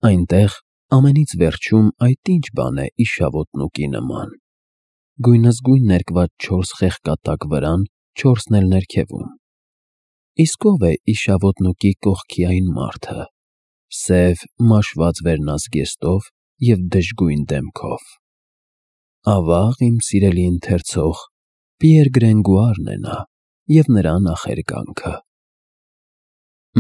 Այնտեղ ամենից վերջում այդ ինչ բան է իշավոտնուկի նման։ Գույնզգույն ներկված 4 խեղկատակ վրան, 4-ն էլ ներքևում։ Իսկ ո՞վ է իշավոտնուկի կողքի այն մարդը, սև մաշված վերնազգեստով և դժգույն դեմքով։ Ավաղ, իմ սիրելի ընթերցող, Պիեր Գրենգուարն է նա և նրա նախերգանքը։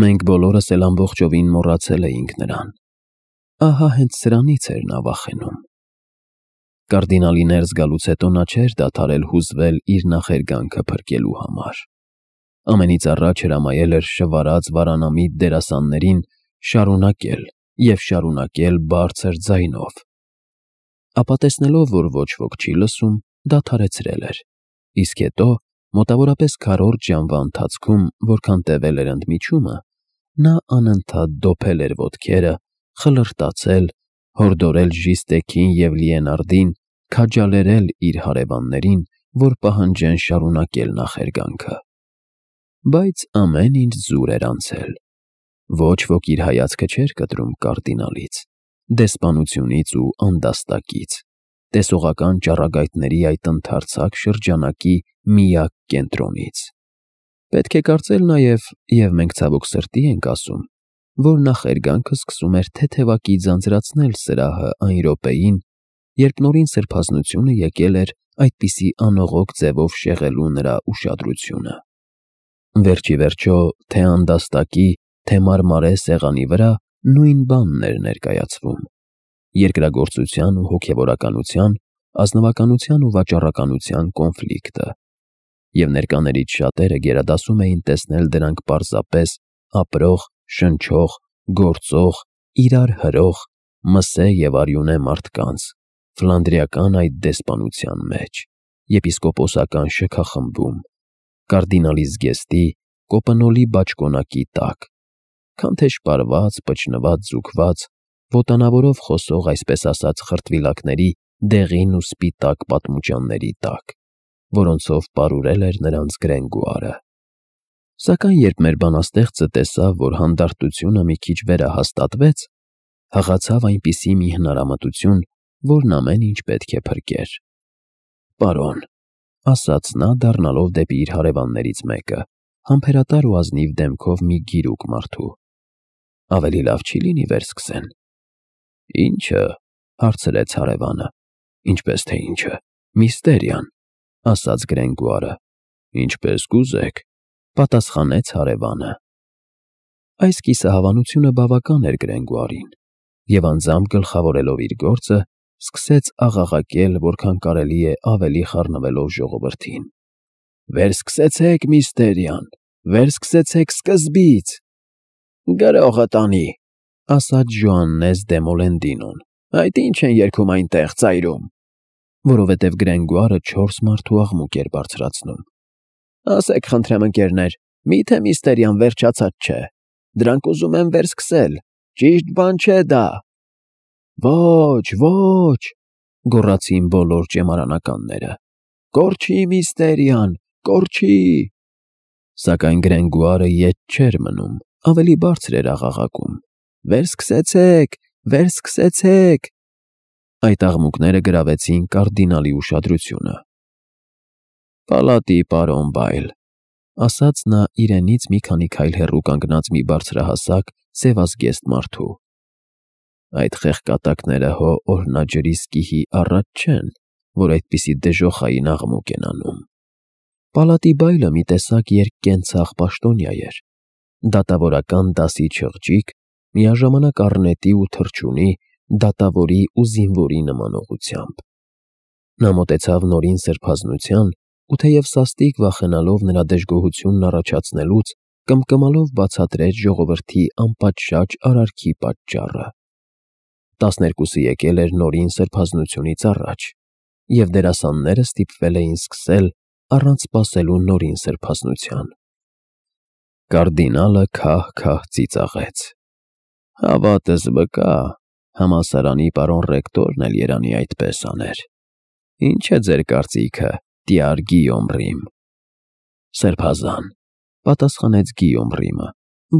Մենք բոլորս էլ ամբողջովին մոռացել էինք նրան։ Ահա հենց սրանից էր նա վախենում։ Կարդինալի ներս գալուց հետո նա չէր դադարել հուզվել իր նախերգանքը փրկելու համար։ Ամենից առաջ հրամայել էր շվարած վարանամիտ դերասաններին շարունակել և շարունակել բարձր ձայնով։ Ապա տեսնելով, որ ոչ ոք չի լսում, դադարեցրել էր, իսկ հետո, մոտավորապես 4 ժամվա ընթացքում, որքան տևել էր ընդմիջումը, նա անընդհատ դոփել էր ոտքերը, խլրտացել, հորդորել Ժիստեքին և Լիենարդին քաջալերել իր հարևաններին, որ պահանջեն շարունակել նախերգանքը։ Բայց ամեն ինչ զուր էր անցել։ Ոչ ոք իր հայացքը չէր կտրում կարդինալից, դեսպանությունից ու անդաստակից, տեսողական ճառագայթների այդ ընդարձակ շրջանակի միակ կենտրոնից։ Պետք է կարծել նաև, և մենք ցավոք սրտի ենք ասում, որ նախերգանքը սկսում էր թեթևակի ձանձրացնել սրահը այն րոպեին, երբ Նորին Սրբազնությունը եկել էր այդպիսի անողոք ձևով շեղելու նրա ուշադրությունը։ Վերջ ի վերջո, թե անդաստակի, թե մարմարե սեղանի վրա նույն բանն էր ներկայացվում՝ երկրագործության ու հոգևորականության, ազնվականության ու վաճառականության կոնֆլիկտը, և ներկաներից շատերը գերադասում էին տեսնել դրանք պարզապես ապրող, շնչող, գործող, իրար հրող, մսե և արյունե մարդկանց, ֆլանդրիական այդ դեսպանության մեջ, եպիսկոպոսական շքախմբում, կարդինալի զգեստի, կոպնոլի բաճկոնակի տակ, քան թե շպարված, պճնված, ձուկված, ոտանավորով խոսող այսպես ասած խրտվիլակների դեղին ու սպիտակ պատմուճանների տակ, որոնցով պարուրել էր նրանց Գրենգուարը։ Սակայն երբ մեր բանաստեղծը տեսավ, որ հանդարտությունը մի քիչ վերահաստատվեց, հղացավ այնպիսի մի հնարամտություն, որն ամեն ինչ պետք է փրկեր։ «Պարոն», ասաց նա, դառնալով դեպի իր հարևաններից մեկը, համբերատար ու ազնիվ դեմքով մի գիրուկ մարդու, ավելի լավ չի՞ լինի վերսկսեն։ «Ի՞նչը», հարցրեց հարևանը։ «Ինչպես թե ինչը, միստերիան», ասաց Գրենգուարը։ «Ինչպես կուզեք», պատասխանեց հարևանը։ Այս կիսահավանությունը բավական էր Գրենգուարին, և անձամբ գլխավորելով իր գործը, սկսեց աղաղակել, որքան կարելի է ավելի խառնվելով ժողովրդին. «Վերսկսեցեք միստերիան, վերսկսեցեք սկզբից»։ «Գրողը տանի», ասաց Ժոաննես դե Մոլենդինոն, «այդ ինչ են երգում այնտեղ ծայրում», որովհետև Գրենգուարը 4 մարդու աղմուկ էր բարձրացնում։ «Ասեք, խնդրեմ, ընկերներ, մի՞թե միստերիան վերջացած չէ։ Դրանք ուզում են վերսկսել, ճիշտ բան չէ դա»։ «Ոչ, ոչ», գոռացին բոլոր ճեմարանականները, «կորչի միստերիան, կորչի»։ Սակայն Գրենգուարը ետ չէր մնում, ավելի բարձր էր աղաղակում. «Վերսկսեցեք, վերսկսեցեք»։ Այդ աղմուկները գրավեցին կարդինալի ուշադրությունը։ «Պալատի պարոն Բայլ», ասաց նա իրենից մի քանի քայլ հեռու կանգնած մի բարձրահասակ, սևազգեստ մարդու։ «Այդ խեղկատակները հո օրհնաջրի սկիհի առաջ չեն, որ այդպիսի դժոխային աղմուկ են անում»։ Պալատի Բայլը մի տեսակ երկկենցաղ պաշտոնյա էր, դատավորական դասի չղջիկ, միաժամանակ առնետի ու թռչունի, դատավորի ու զինվորի նմանողությամբ։ Նա մոտեցավ Նորին Սրբազնության ու թեև սաստիկ վախենալով նրա դժգոհությունն առաջացնելուց, կմկմալով բացատրեց ժողովրդի անպատշաճ արարքի պատճառը։ 12-ը եկել էր Նորին Սրբազնությունից առաջ, և դերասանները ստիպվել էին սկսել առանց սպասելու Նորին Սրբազնության։ Կարդինալը քահ-քահ ծիծաղեց. «Հավատս վկա, համալսարանի պարոն ռեկտորն էլ երանի այդպես աներ։ Ինչ է ձեր կարծիքը, տյար Գիյոմ Ռիմ»։ «Սրբազան», պատասխանեց Գիյոմ Ռիմը,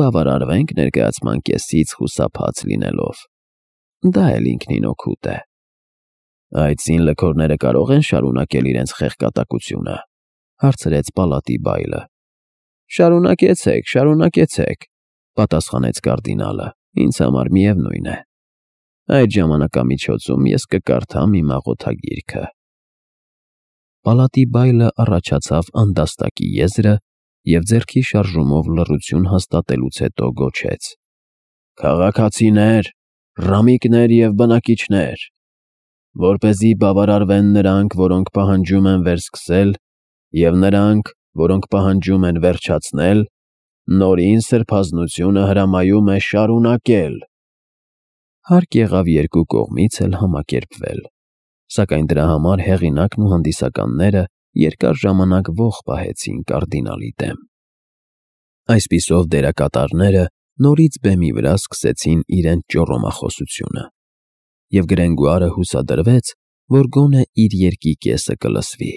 «բավարարվենք ներկայացման կեսից խուսափած լինելով»։ Դա էլ ինքնին օգուտ է։ Այդ սին լքորները կարող են շարունակել իրենց խեղկատակությունը, հարցրեց պալատի բայլը։ Շարունակեցեք, շարունակեցեք, պատասխանեց կարդինալը, ինձ համար միևնույն է։ Այդ ժամանակամիջոցում ես կկարդամ իմ աղոթագիրքը։ Պալատի բայլը առաջացավ անդաստակի եզրը և ձեռքի շարժումով լռություն հաստատելուց հետո գոչեց. Քաղաքացիներ, ռամիկներ և բնակիչներ, որպեսզի բավարարվեն նրանք, որոնք պահանջում են վերսկսել, և նրանք, որոնք պահանջում են վերջացնել, նորին սրբազնությունը հրամայում է շարունակել։ Հարկ եղավ երկու կողմից էլ համակերպվել, սակայն դրա համար հեղինակն ու հանդիսականները երկար ժամանակ ոխ պահեցին կարդինալի դեմ։ Այսպիսով դերակատարները նորից բեմի վրա սկսեցին իրենց ճոռոմախոսությունը, և Գրենգուարը հուսադրվեց, որ գոնե իր երկի կեսը կլսվի։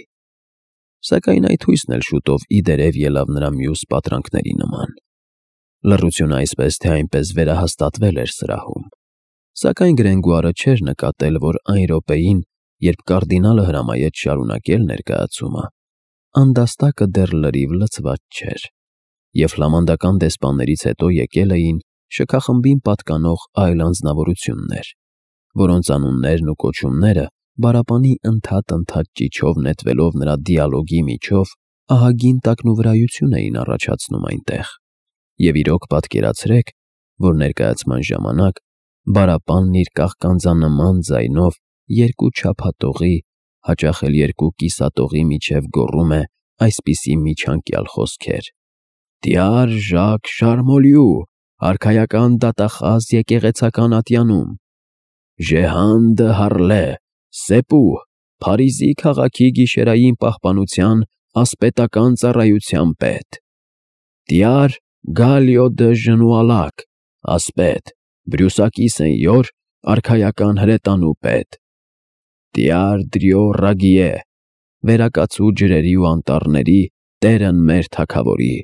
Սակայն այդ հույսն էլ շուտով ի դերև ելավ նրա մյուս պատրանքների նման։ Լռությունը այսպես թե այնպես վերահաստատվել էր սրահում, սակայն Գրենգուարը չէր նկատել, որ այն րոպեին, երբ կարդինալը հրամայեց շարունակել ներկայացումը, անդաստակը դեռ լրիվ լցված չէր, և ֆլամանդական դեսպաններից հետո եկել էին շքախմբին պատկանող այլ անձնավորություններ, որոնց անուններն ու կոչումները բարապանի ընդհատ ճիչով նետվելով նրա դիալոգի միջով ահագին տակնուվրայություն էին առաջացնում այնտեղ։ Եվ իրոք պատկերացրեք, որ ներկայացման ժամանակ բարապանն իր կաղկանձանման ձայնով երկու չափատողի, հաճախ էլ երկու կիսատողի միջև գոռում է այսպիսի միջանկյալ խոսքեր. «Դյար Ժակ Շարմոլյու, արքայական դատախազ եկեղեցական ատյանում, Ժեհան դը Հարլե, Սեպու, Փարիզի քաղաքի գիշերային պահպանության ասպետական ծառայության պետ, Դյար Գալիո դը Ժնուալակ, ասպետ, Բրյուսակի Սենյոր, արքայական հրետանու պետ, Դյար Դրիո Ռագիե, վերակացու ջրերի ու անտառների տերն մեր թագավորի,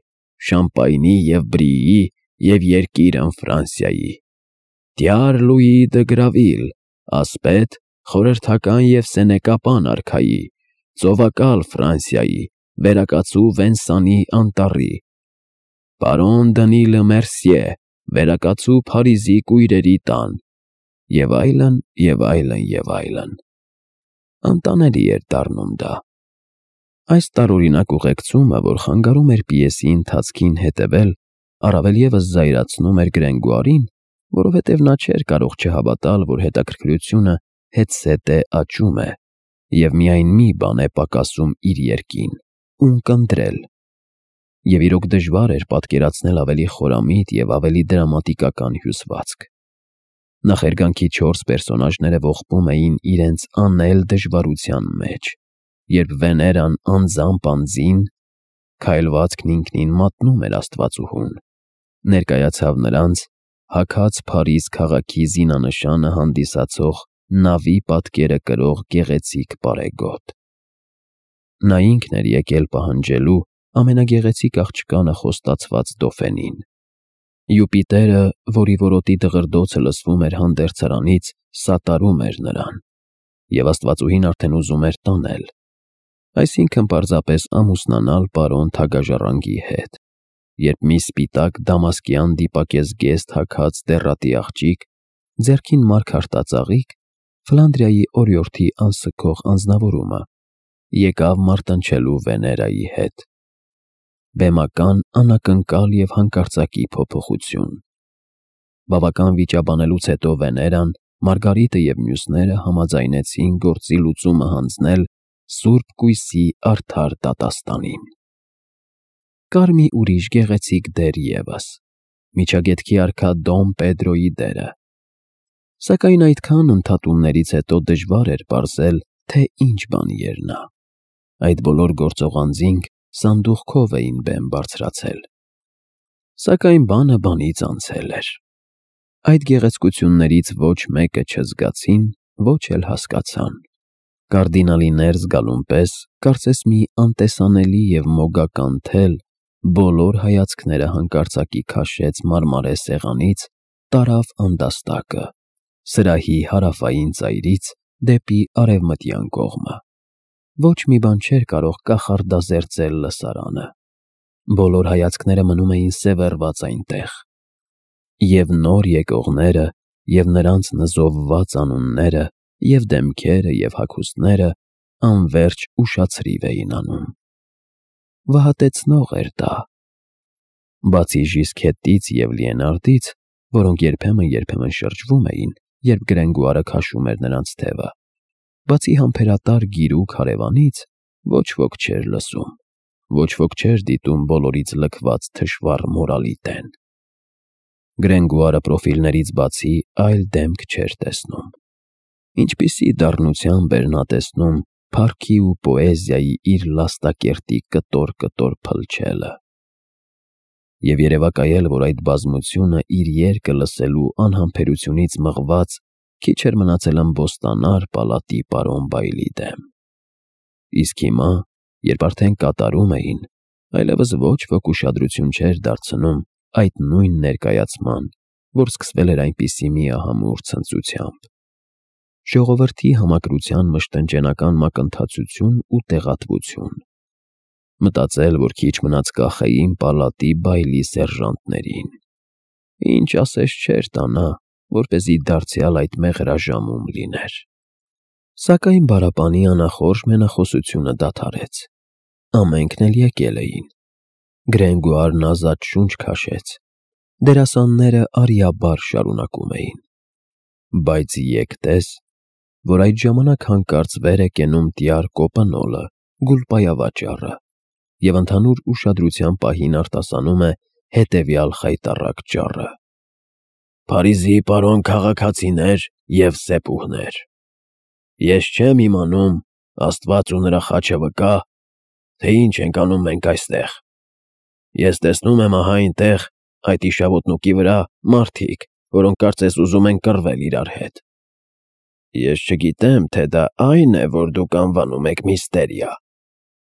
Շամպայնի և Բրիի և երկիրն Ֆրանսիայի, Դյար Լուի դը Գրավիլ, ասպետ, խորհրդական և սենեկապան արքայի, ծովակալ Ֆրանսիայի, վերակացու Վենսանի անտառի, պարոն Դնիլը Մերսիե, վերակացու Փարիզի կույրերի տան, և այլն, և այլն, և այլն։ Անտանելի էր դառնում դա։ Այս տարօրինակ ուղեկցումը, որ խանգարում էր պիեսի ընթացքին հետևել, առավել ևս զայրացնում էր Գրենգուարին, որովհետև նա չէր կարող չհավատալ, որ հետաքրքրությունը հետզհետե աճում է, և միայն մի բան է պակասում իր երկին՝ ունկնդրել։ Եվ իրոք դժվար էր պատկերացնել ավելի խորամիտ և ավելի դրամատիկական հյուսվածք։ Նախերգանքի 4 պերսոնաժները ողբում էին իրենց անել դժվարության մեջ, երբ Վեներան անձամբ անձին, քայլվածքն ինքնին մատնում էր աստվածուհուն, ներկայացավ նրանց հագած Փարիզ քաղաքի զինանշանը հանդիսացող նավի պատկերը կրող գեղեցիկ պարեգոտ։ Նա ինքն էր եկել պահանջելու ամենագեղեցիկ աղջկանը խոստացված Դոֆենին։ Յուպիտերը, որի որոտի դղրդոցը լսվում էր հանդերձարանից, սատարում էր նրան, և աստվածուհին արդեն ուզում էր տանել, այսինքն պարզապես ամուսնանալ պարոն Թագաժառանգի հետ, երբ մի սպիտակ դամասկյան դիպակեզգեստ հագած դեռատի աղջիկ, ձեռքին մարգարտածաղիկ, Ֆլանդրիայի օրիորդի անսքող անձնավորումը, եկավ մարտնչելու Վեներայի հետ։ Բեմական, անակնկալ և հանկարծակի փոփոխություն։ Բավական վիճաբանելուց հետո Վեներան, Մարգարիտը և մյուսները համաձայնեցին գործի լուծումը հանձնել Սուրբ Կույսի արդար դատաստանին։ Կար մի ուրիշ գեղեցիկ դեր ևս՝ Միջագետքի արքա Դոն Պեդրոյի դերը։ Սակայն այդքան ընդհատումներից հետո դժվար էր պարզել, թե ինչ բանի էր նա։ Այդ բոլոր գործող անձինք սանդուղքով էին բեմ բարձրացել։ Սակայն բանը բանից անցել էր։ Այդ գեղեցկություններից ոչ մեկը չզգացին, ոչ էլ հասկացան։ Կարդինալի ներս գալուն պես, կարծես մի անտեսանելի և մոգական թել բոլոր հայացքները հանկարծակի քաշեց մարմարե սեղանից, տարավ անդաստակը սրահի հարավային ծայրից դեպի արևմտյան կողմը։ Ոչ մի բան չէր կարող կախարդազերծել լսարանը։ Բոլոր հայացքները մնում էին սևեռված այնտեղ։ Եվ նոր եկողները, և նրանց նզովված անունները, և դեմքերը, և հագուստները անվերջ ուշացրիվ էին անում։ Վհատեցնող էր դա։ Բացի Ժիսքետից և Լիենարդից, որոնք երբեմն շրջվում էին, երբ Գրենգուարը քաշում էր նրանց թևը, բացի համբերատար գիրուկ հարևանից, ոչ ոք չէր լսում, ոչ ոք չէր դիտում բոլորից լքված թշվառ մորալիտեն։ Գրենգուարը պրոֆիլներից բացի այլ դեմք չէր տեսնում։ Ինչպիսի դառնությամբ էր նա տեսնում փառքի ու պոեզիայի իր լաստակերտի կտոր փլչելը։ Եվ երևակայել, որ այդ բազմությունը իր երգը լսելու անհամբերությունից մղված քիչ էր մնացել ըմբոստանար պալատի պարոն Բայլի դեմ։ Իսկ հիմա, երբ արդեն կատարում էին, այլևս ոչ ոք ուշադրություն չէր դարձնում այդ նույն ներկայացման, որ սկսվել էր այնպիսի միահամուռ ցնծությամբ։ Ժողովրդի համակրության մշտնջենական մակընթացություն ու տեղատվություն։ Մտածել, որ քիչ մնաց կախեին պալատի Բայլի սերժանտներին։ Ինչ ասես չէր տանա, որպեսզի դարձյալ այդ մեղրաժամում լիներ։ Սակայն բարապանի անախորժ մենախոսությունը դադարեց։ Ամենքն էլ եկել էին։ Գրենգուարն ազատ շունչ քաշեց։ Դերասանները արիաբար շարունակում էին։ Բայց եկտես, որ այդ ժամանակ հանկարծ վեր է կենում տյար Կոպնոլը, գուլպայավաճառը, և ընդհանուր ուշադրության պահին արտասանում է հետևյալ խայտառակ ճառը. «Փարիզի պարոն քաղաքացիներ և սեպուհներ, ես չեմ իմանում, Աստված ու նրա խաչը վկա, թե ինչ ենք անում մենք այստեղ։ Ես տեսնում եմ ահա այնտեղ, այդ իշավոտնուկի վրա, մարդիկ, որոնք կարծես ուզում են կռվել իրար հետ։ Ես չգիտեմ, թե դա այն է, որ դուք անվանում եք միստերիա,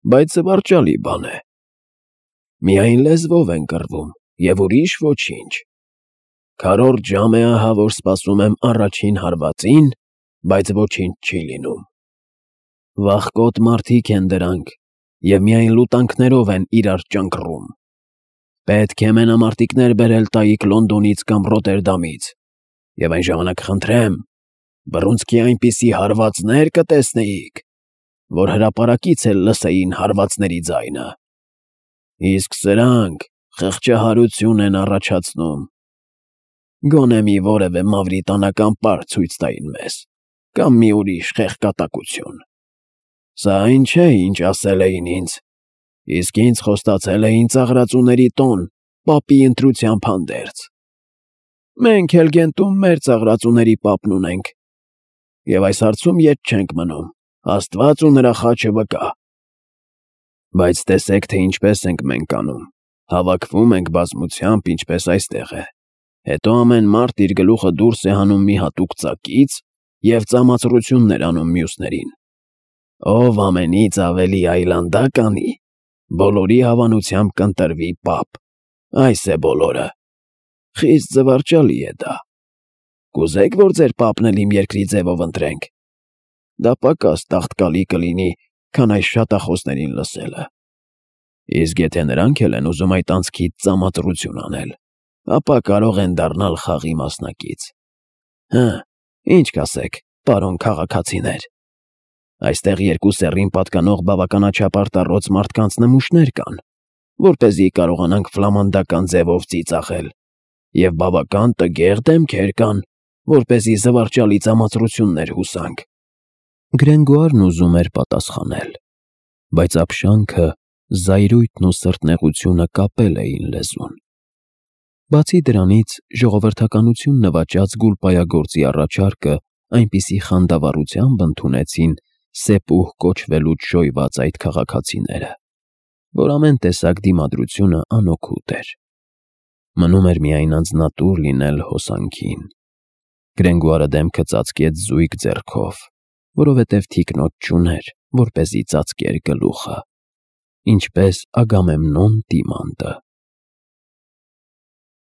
բայց զվարճալի բան է։ Միայն լեզվով են կռվում, և ուրիշ ոչինչ։ Քառորդ ժամ է ահա, որ սպասում եմ առաջին հարվածին, բայց ոչինչ չի լինում։ Վախկոտ մարդիկ են դրանք, և միայն լուտանքներով են իրար ճանկռում։ Պետք է մենամարտիկներ բերել տայիք Լոնդոնից կամ Ռոտերդամից, և այն ժամանակ խնդրեմ, բռունցքի այնպիսի հարվածներ կտեսնեիք, որ հրապարակից էլ լսեին հարվածների ձայնը։ Իսկ սրանք խղճահարություն են առաջացնում։ Գոնե մի որևէ մավրիտանական պար ցույց տային մեզ, կամ մի ուրիշ խեղկատակություն։ Սա այն չէ, ինչ ասել էին ինձ, իսկ ինձ խոստացել էին ծաղրածուների տոն, պապի ընտրությամբ հանդերձ։ Մենք էլ Գենտում մեր ծաղրածուների պապն ունենք, և այս հարցում ետ չենք մնում, Աստված ու նրա խաչը վկա։ Բայց տեսեք, թե ինչպես ենք մենք անում, հավաքվում ենք բազմությամբ, ինչպես այստեղ է, հետո ամեն մարդ իր գլուխը դուրս է հանում մի հատուկ ծակից և ծամացռություններ անում մյուսներին։ Ով ամենից ավելի այլանդակ անի, բոլորի հավանությամբ կընտրվի պապ։ Այս է բոլորը։ Խիստ զվարճալի է դա։ Կուզե՞ք, որ ձեր պապն էլ իմ երկրի ձևով ընտրենք։ Դա պակաս տաղտկալի կլինի, քան այս շատախոսներին լսելը։ Իսկ եթե նրանք էլ են ուզում այդ անցքից ծամածռություն անել, ապա կարող են դառնալ խաղի մասնակից։ Հը, ինչ կասեք, պարոն քաղաքացիներ։ Այստեղ երկու սեռին պատկանող բավականաչափ արտառոց մարդկանց նմուշներ կան, որպեսզի կարողանանք ֆլամանդական ձևով ծիծաղել, և բավական տգեղ դեմքեր կան, որպեսզի զվարճալի ծամածռություններ հուսանք։ Գրենգուարն ուզում էր պատասխանել, բայց ապշանքը, զայրույթն ու սրտնեղությունը կապել էին լեզուն։ Բացի դրանից, ժողովրդականություն նվաճած գուլպայագործի առաջարկը այնպիսի խանդավառությամբ ընդունեցին սեպուհ կոչվելուց շոյված այդ քաղաքացիները, որ ամեն տեսակ դիմադրությունը անօգուտ էր։ Մնում էր միայն անձնատուր լինել հոսանքին։ Գրենգուարը դեմքը ծածկեց զույգ ձեռքով, որովհետև թիկնոց չուներ, որպեսզի ծածկեր գլուխը, ինչպես Ագամեմնոն դիմանդը։